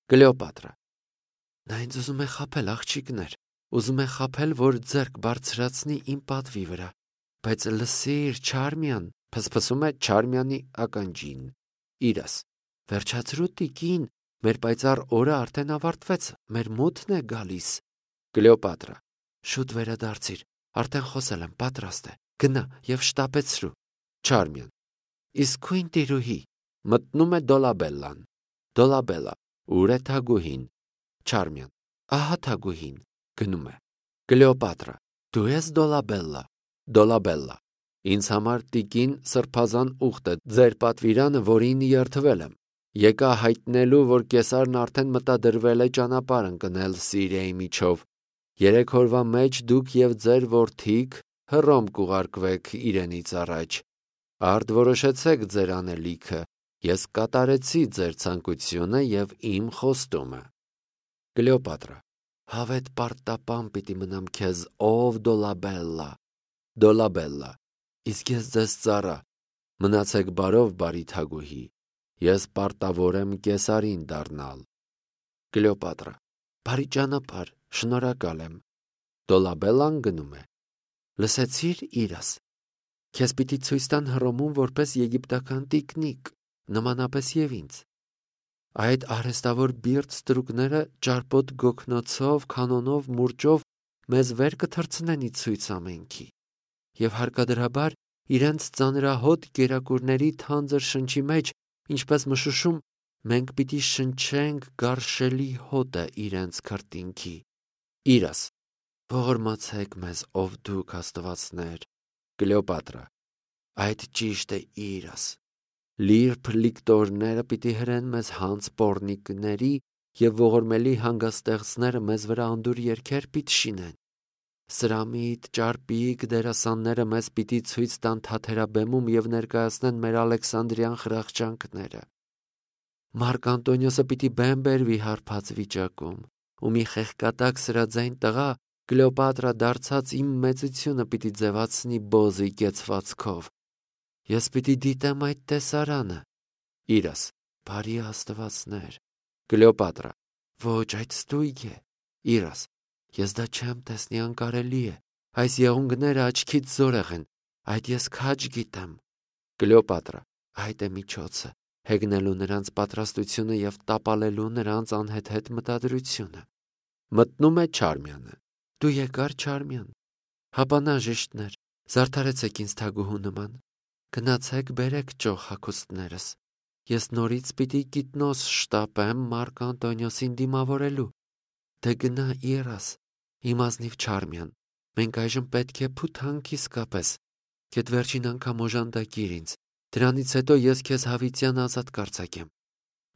Կլեոպատրա. Նա ինձ ուզում է խաբել, աղջիկներ, ուզում է խաբել, որ ձեռք բարձրացնի իմ պատվի վրա, բայց լսիր, Չարմյան, փսփսում է Չարմյանի ականջին, իրաս, վերջացրու տիկին, մեր պայծառ օրը արդեն ավարտվեց, մեր մութն է գալիս։ Կլեոպատրա. շուտ վերադարձիր, արդեն խոսել եմ, պատրաստ է, գնա և շտապեցրու։ Չարմյան. իսկույն տիրուհի, մտնում է Դոլաբելլան։ Դոլաբելլա. ուր է թագուհին։ Չարմյան. ահա թագուհին, գնում է։ Կլեոպատրա. դու ես Դոլաբելլա։ Դոլաբելլա. ինձ համար տիկին սրբազան ուխտ է ձեր պատվիրանը, որին երդվել եմ։ Եկա հայտնելու, որ կեսարն արդեն մտադրվել է ճանապարհ ընկնել Սիրիայի միջով։ 3 օրվա մեջ դուք և ձեր որդիք Հռոմ կուղարկվեք իրենից առաջ։ Արդ որոշեցեք ձեր անելիքը, ես կատարեցի ձեր ցանկությունը և իմ խոստումը։ Կլեոպատրա. հավետ պարտապան պիտի մնամ քեզ, ով Դոլաբելլա։ Դոլաբելլա. իսկ ես ձեզ ծառա, մնացեք բարով, բարի թագուհի, ես պարտավոր եմ կեսարին դառնալ։ Կլեոպատրա. բարի ճանապարհ, շնորհակալ եմ։ Դոլաբելլան գնում է։ Լսեցիր, իրաս, քեզ պիտի ցույց տան Հռոմում որպես եգիպտական տիկնիկ, նմանապես և ինձ։ Այդ արհեստավոր բիրտ ստրուկները ճարպոտ գոգնոցով, քանոնով, մուրճով մեզ վեր կթռցնեն ի ցույց ամենքի, և հարկադրաբար իրենց ծանրահոտ կերակուրների թանձր շնչի մեջ, ինչպես մշուշում, մենք պիտի շնչենք գարշելի հոտը իրենց քրտինքի։ Իրաս. ողորմացեք մեզ, ով դուք աստվածներ։ Կլեոպատրա. այդ ճիշտ է, իրաս։ Լիրբ լիկտորները պիտի հրեն մեզ հանց պոռնիկների և ողորմելի հանգստեղծները մեզ վրա անդուր երգեր պիտի շինեն։ Սրամիտ, ճարպիկ դերասանները մեզ պիտի ցույց տան թաթերաբեմում և ներկայացնեն մեր Ալեքսանդրյան խրախճանքները։ Մարկ Անտոնիոսը պիտի բեմ բերվի հարբած վիճակում, ու մի խեղկատակ սրաձայն տղա Կլեոպատրա դարձած իմ մեծությունը պիտի ձևացնի բոզի կեցվածքով։ Ես պիտի դիտեմ այդ տեսարանը։ Իրաս. բարի աստվածներ։ Կլեոպատրա. ոչ, այդ ստույգ է։ Իրաս. ես դա չեմ տեսնի, անկարելի է։ Այս եղունգները աչքից զորեղ են, այդ ես քաջ գիտեմ։ Կլեոպատրա. այդ է միջոցը, հեգնելու նրանց պատրաստությունը և տապալելու նրանց անհեթեթ մտադրությունը։ Մտնում է Չարմյանը։ Դու եկար, Չարմյան։ Հապանաժիշտներ, զարդարեցեք ինձ թագուհու նման։ Գնացեք բերեք ճոխ հագուստներս։ Ես նորից պիտի կիտնոս շտապեմ Մարկ Անտոնիոսին դիմավորելու։ Դե գնա, իրաս, իմ ազնիվ Չարմյան, մենք այժմ պետք է փութանք իսկապես, քեդ վերջին անգամ օժանդակիր ինձ, դրանից հետո ես քեզ հավիտյան ազատ կարձակեմ։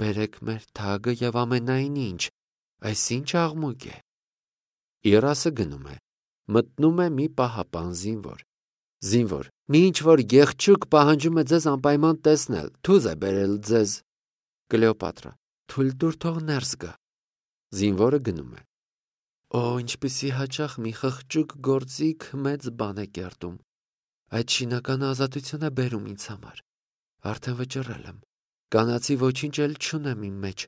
Բերեք մեր թագը և ամենայն ինչ, այս ինչ աղմուկ է։ Իրասը գնում է, մտնում է մի պահապան զինվոր։ Զինվոր. մի ինչ-որ գեղչուկ պահանջում է ձեզ անպայման տեսնել, թուզ է բերել ձեզ։ Կլեոպատրա. թույլ տուր, թող ներս գա։ Զինվորը գնում է։ Օ, ինչպիսի հաճախ մի խղճուկ գործիք մեծ բան է կերտում։ Այդ շինական ազատություն է բերում ինձ համար։ Արդեն վճռել եմ։ Կանացի ոչինչ էլ չունեմ իմ մեջ։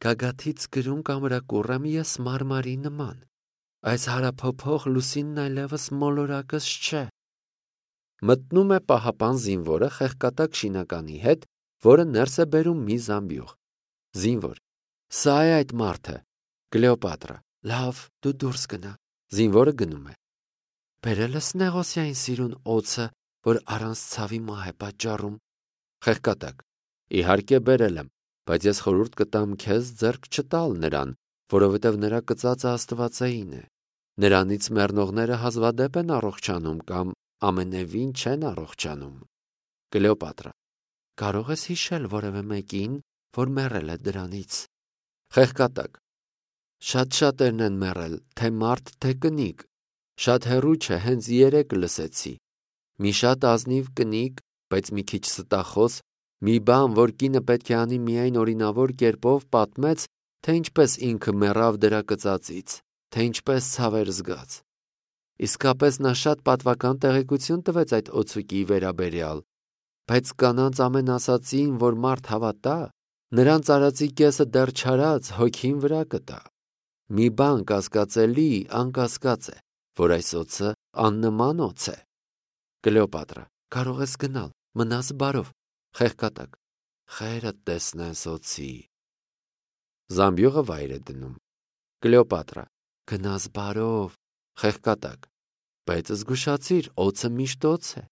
Գագաթից գրում կամրակուռ եմ ես մարմարի նման։ Այս հարափոփող լուսինն այլևս մոլորակս չէ։ Մտնում է պահապան զինվորը խեղկատակ շինականի հետ, որը ներս է բերում մի զամբյուղ։ Զինվոր. սա է այդ մարդը։ Կլեոպատրա. լավ, դու դուրս գնա։ Զինվորը գնում է։ Բերել ես Նեղոսյային սիրուն օձը, որ առանց ցավի մահ է պատճառում։ Խեղկատակ. իհարկե բերել եմ, բայց ես խորհուրդ կտամ քեզ ձեռք չտալ նրան, որովհետև նրա կծածը աստվածային է։ Նրանից մեռնողները հազվադեպ են առողջանում կամ ամենևին չեն առողջանում։ Կլեոպատրա. կարող ես հիշել որևէ մեկին, որ մեռել է դրանից։ Խեղկատակ. շատ-շատերն են մեռել, թե մարդ, թե կնիկ։ Շատ հեռու չէ, հենց երեկ լսեցի։ Մի շատ ազնիվ կնիկ, բայց մի քիչ ստախոս, մի բան, որ կինը պետք է անի միայն օրինավոր կերպով, պատմեց, թե ինչպես ինքը մեռավ դրա կծածից, թե ինչպես ցաver զգաց։ Իսկապես նա շատ պատվական տեղեկություն տվեց այդ օձուկի վերաբերյալ, բայց կանանց ամեն ասածին, որ մարդ հավատա, Նրանց արածի կեսը դեռ չարած հոգին վրա կտա։ Մի բան կասկածելի անկասկած է, որ այս օձը աննման օձ է։ Կլեոպատրա, կարող ես գնալ, մնաս բարով։ Խեղկատակ, խերդ տեսնես օձի։ Զամբյուղը վայր է դնում։ Կլեոպատրա, գնաս բարով։ Խեղկատակ, բայց զգուշացիր, օձը միշտ օձ է,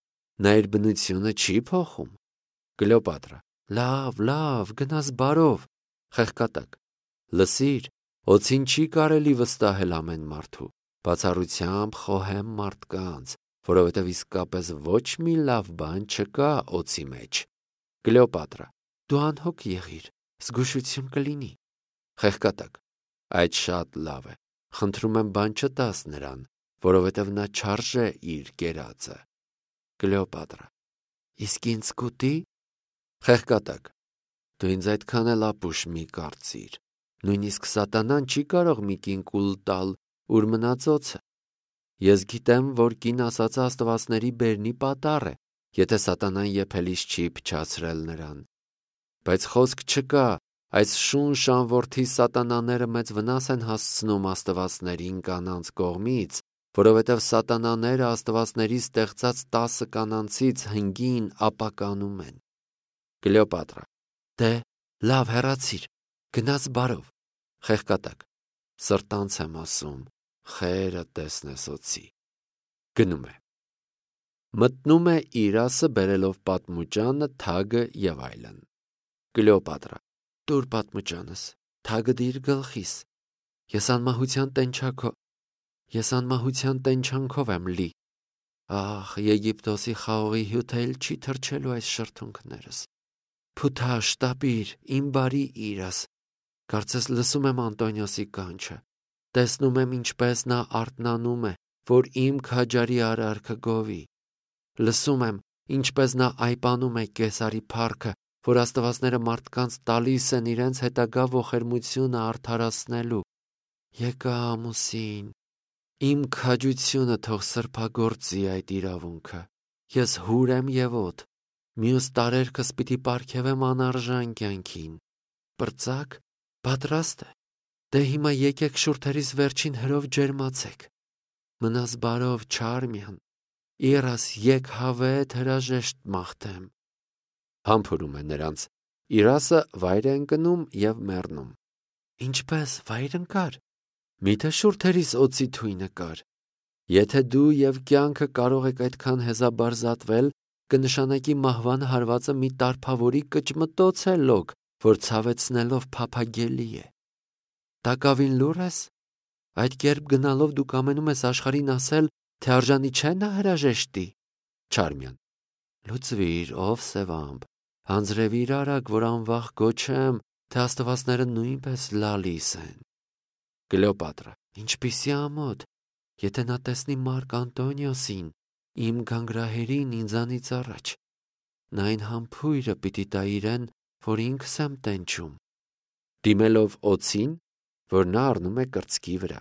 նա իր բնությունը չի փոխում։ Կլեոպատրա, լավ, գնաս բարով։ Խեղկատակ, լսիր, օձին չի կարելի վստահել ամեն մարդու, բացառությամբ խոհեմ մարդկանց, որովհետև իսկապես ոչ մի լավ բան չկա օձի մեջ։ Կլեոպատրա, դու անհոգ եղիր, զգուշություն կլինի։ Խեղկատակ, այդ շատ լավ է, խնդրում եմ բան չտաս նրան, որովհետև նա չարժե իր կերածը։ Կլեոպատրա, իսկ ինձ կուտի։ Խեղկատակ, դու ինձ այդքան էլ ապուշ մի կարծիր, նույնիսկ սատանան չի կարող մի կին կուլ տալ, ուր մնաց օձը։ Ես գիտեմ, որ կին ասածը աստվածների բերնի պատառ է, եթե սատանան եփելիս չի փչացրել նրան։ Բայց խոսք չկա, այս շուն շանվորդի սատանաները մեծ վնաս են հասցնում աստվածներին կանանց կողմից, որովհետև սատանաները աստվածների ստեղծած 10 կանանցից 5-ին ապականում են։ Կլեոպատրա, դե, լավ հեռացիր, գնաս բարով։ Խեղկատակ, սրտանց եմ ասում, խերը տեսնես օձի։ Գնում է։ Մտնում է Իրասը բերելով պատմուճանը, թագը եւ այլն։ Կլեոպատրա, տուր պատմուճանս, թագը դիր գլխիս։ Ես անմահության տենչանքով եմ լի։ Ահ, Եգիպտոսի խաղողի հյութը էլ չի թրջելու այս շրթունքներս։ Փութա, շտապիր, իմ բարի Իրաս։ Կարծես լսում եմ Անտոնիոսի կանչը։ Տեսնում եմ, ինչպես նա արթնանում է, որ իմ քաջարի արարքը գովի։ Լսում եմ, ինչպես նա այպանում է Կեսարի փառքը, որ աստվածները մարդկանց տալիս են իրենց հետագա ողերմությունը արդարացնելու։ Եկա ամուսին, իմ քաջությունը թող սրբագործի այդ իրավունքը։ Ես հուր եմ եւ օդ, մյուս տարերքս պիտի պարգևեմ անարժան կյանքին։ Պրծակ, պատրաստ է։ Դե հիմա եկեք շուրթերիս վերջին հրով ջերմացեք։ Մնաս բարով, Չարմյան, Իրաս եկ հավետ հրաժեշտ մաղթեմ։ Համբուրում է նրանց։ Իրասը վայր է ընկնում եւ մեռնում։ Ինչպես վայր ընկար։ Միթե շուրթերիս օծի թույնը կար։ Եթե դու եւ կյանքը կարող եք այդքան հեզաբարզատվել, կնշանակի մահվան հարվածը մի տարփավորի կճմտոց է լոկ, որ ցավեցնելով փափագելի է։ Տակավին լուր ես։ Այդ կերպ գնալով դու կամենում ես աշխարհին ասել, թե արժանի չէ նա հրաժեշտի։ Չարմյան, լուծվիր, ով սևամբ, հանձրևիր արագ, որ անվախ գոչեմ, թե աստվածները նույնպես լալիս են։ Կլեոպատրա, ինչպիսի ամոթ, եթե նա տեսնի Մարկ Անտոնիոսին, իմ գանգրահերին ինձանից առաջ, նա այն համբույրը պիտի տա իրեն, որ ինքս եմ տենչում։ Դիմելով օձին, որ նա առնում է կրծքի վրա։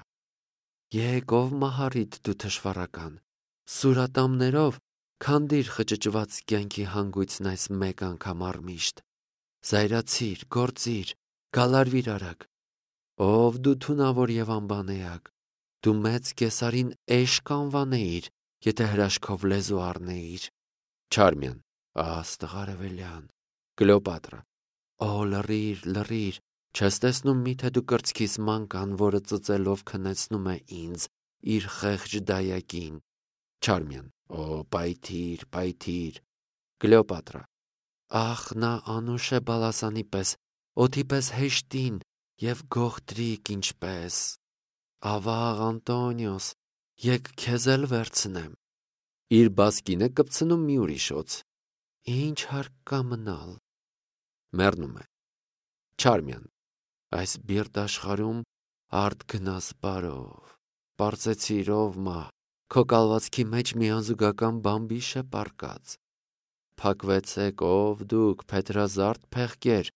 Եկ ով մահարիտ դու թշվառական, սուրատամներով քանդիր խճճված կյանքի հանգույցն այս մեկ անգամ առմիշտ։ Զայրացիր, գործիր, գալարվիր արագ։ Ով դու թունավոր եւ անբանեակ, դու մեծ Կեսարին էշ կանվանեիր, եթե հրաշքով լեզու առնեիր։ Չարմյան, աստղարևելյան։ Կլեոպատրա, օ լռիր, չես տեսնում միթե դու կրծքիս մանկան, որը ծծելով քնեցնում է ինձ, իր խեղճ դայակին։ Չարմյան, օ պայթիր։ Կլեոպատրա, ախ, նա անուշ է բալասանի պես, օդի պես հեշտին եւ գողտրիկ ինչպես։ Ավաղ Անտոնիոս, եկ քեզ էլ վերցնեմ։ Իր բասկինը կպցնում մի ուրիշ օձ։ Ինչ հարկ կա մնալ։ Մեռնում է։ Չարմյան, այս բիրտ աշխարհում արդ գնաս բարով։ Պարծեցիր, ով մահ, քո կալվածքի մեջ մի անզուգական բամբիշ է պառկած։ Փակվեցեք, ով դուք, փետրազարդ փեղկեր,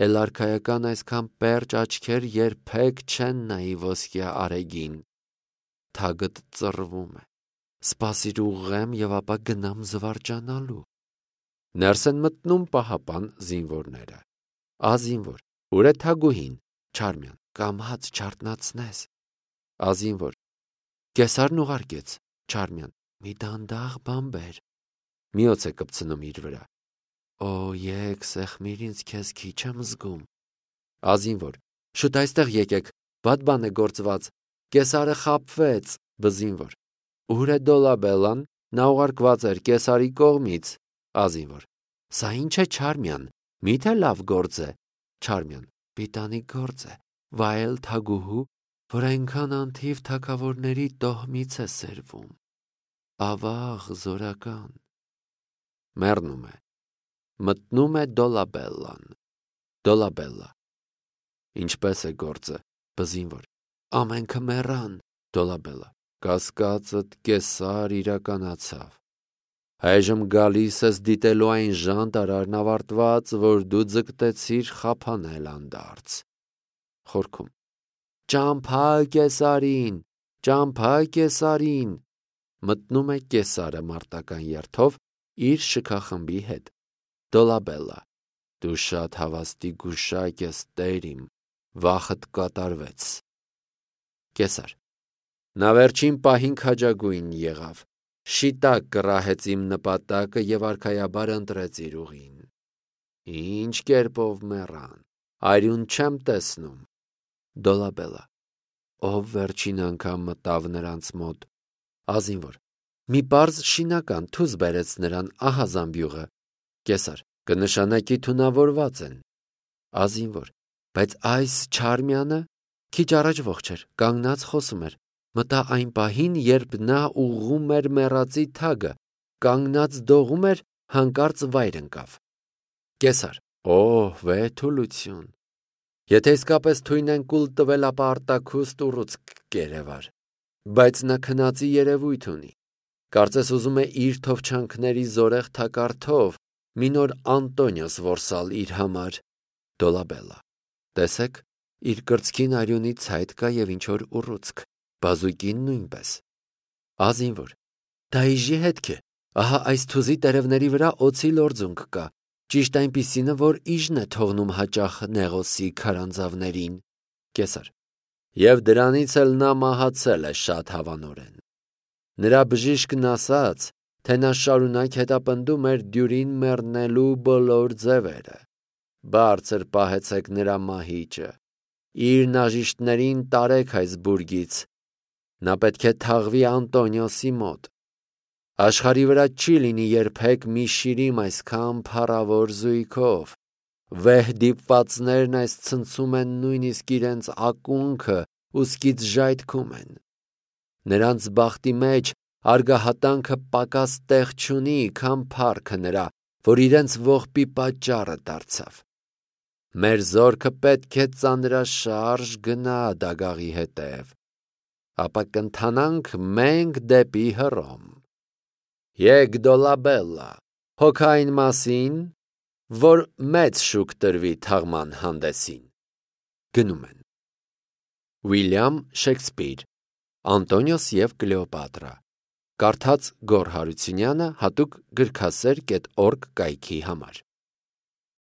էլ արքայական այսքան պերճ աչքեր երբեք չեն նայի ոսկյա արեգին։ Թագդ ծռվում է։ Սպասիր ուղղեմ եւ ապա գնամ զվարճանալու։ Ներս են մտնում պահապան զինվորները։ Ազինվոր, ուր է թագուհին, Չարմյան, կամաց չարտնացնես։ Ազինվոր, կեսարն ուղարկեց, Չարմյան, մի դանդաղ բան բեր։ Միոց է կպցնում իր վրա։ Օ, եկ, սեղմիր ինձ, քեզ քիչ եմ զգում։ Ազինվոր, շուտ այստեղ եկեք, վատ բան է գործված, կեսարը խաբվեց, բզինվոր։ Ուր է Դոլաբելլան, նա ուղարկված էր կեսարի կողմից։ Ազինվոր, սա ինչ է, Չարմյան, միթե լավ գործ է։ Չարմյան, պիտանի գործ է, վայել թագուհու, որ այնքան անթիվ թագավորների տոհմից է սերվում։ Ավաղ զորական։ Մեռնում է։ Մտնում է Դոլաբելլան։ Դոլաբելլա. Ինչպես է գործը, բզինվոր։ Ամենքը մեռան։ Դոլաբելլա. կասկածդ կեսար իրականացավ։ Այժմ գալիս ես դիտելու այն ժանտարարն ավարտված, որ դու ձգտեցիր խափանել անդարձ։ Խորքում. Ճամփա կեսարին, ճամփա կեսարին։ Մտնում է կեսարը մարտական երթով իր շքախմբի հետ։ Դոլաբելլա. դու շատ հավաստի գուշակ ես, տեր իմ, վախդ կատարվեց։ Կեսար. նա վերջին պահին քաջագույն եղավ, շիտակ կռահեց իմ նպատակը և արքայաբար ընտրեց իր ուղին։ Ինչ կերպով մեռան, արյուն չեմ տեսնում։ Դոլաբելլա. ով վերջին անգամ մտավ նրանց մոտ։ Ազինվոր. մի պարզ շինական թուզ բերեց նրան, ահա զամբյուղը։ Կեսար. կնշանակի թունավորված են։ Ազինվոր. բայց այս Չարմյանը քիչ առաջ ողջ էր, կանգնած խոսում էր։ Մտա այն պահին, երբ նա ուղղում էր մեռածի թագը, կանգնած դողում էր, հանկարծ վայր ընկավ։ Կեսար. օհ, վեհթուլություն։ Եթե իսկապես թույն են կուլ տվել, ապա արտաքուստ ուռուցք կերևար։ Բայց նա քնածի երևույթ ունի։ Կարծես ուզում է իր թովչանքների զորեղ թակարդով մի նոր Անտոնիոս որսալ իր համար։ Դոլաբելլա. տեսեք, իր կրծքին արյունի ցայտ կա և ինչ-որ ուռուցք, բազուկին նույնպես։ Ազինվոր. դա իժի հետք է, ահա այս թուզի տերևների վրա օձի լորձունք կա, ճիշտ այնպիսինը, որ իժն է թողնում հաճախ Նեղոսի քարանձավներին։ Կեսար. և դրանից էլ նա մահացել է շատ հավանորեն։ Նրա բժիշկն ասաց, թե նա շարունակ հետապնդում էր դյուրին մեռնելու բոլոր ձևերը։ Բարձր պահեցեք նրա մահիճը, իր նաժիշտներին տարեք այս բուրգից, նա պետք է թաղվի Անտոնիոսի մոտ։ Աշխարհի վրա չի լինի երբեք մի շիրիմ այսքան փառավոր զույգով։ Վեհ դիպվածներն այս ցնցում են նույնիսկ իրենց ակունքը ուսկից ժայթքում են։ Նրանց բախտի մեջ արգահատանքը պակաս տեղ չունի, քան փառքը նրա, որ իրենց ողբի պատճառը դարձավ։ Մեր զորքը պետք է ծանրաշարժ գնա դագաղի հետև, ապա կընթանանք մենք դեպի Հռոմ։ Եկ Դոլաբելլա, հոգ այն մասին, որ մեծ շուք տրվի թաղման հանդեսին։ Գնում են։ Ուիլյամ Շեքսպիր, Անտոնիոս և Կլեոպատրա։ Կարդաց Գոռ Հարությունյանը հատուկ գրքասեր.org կայքի համար։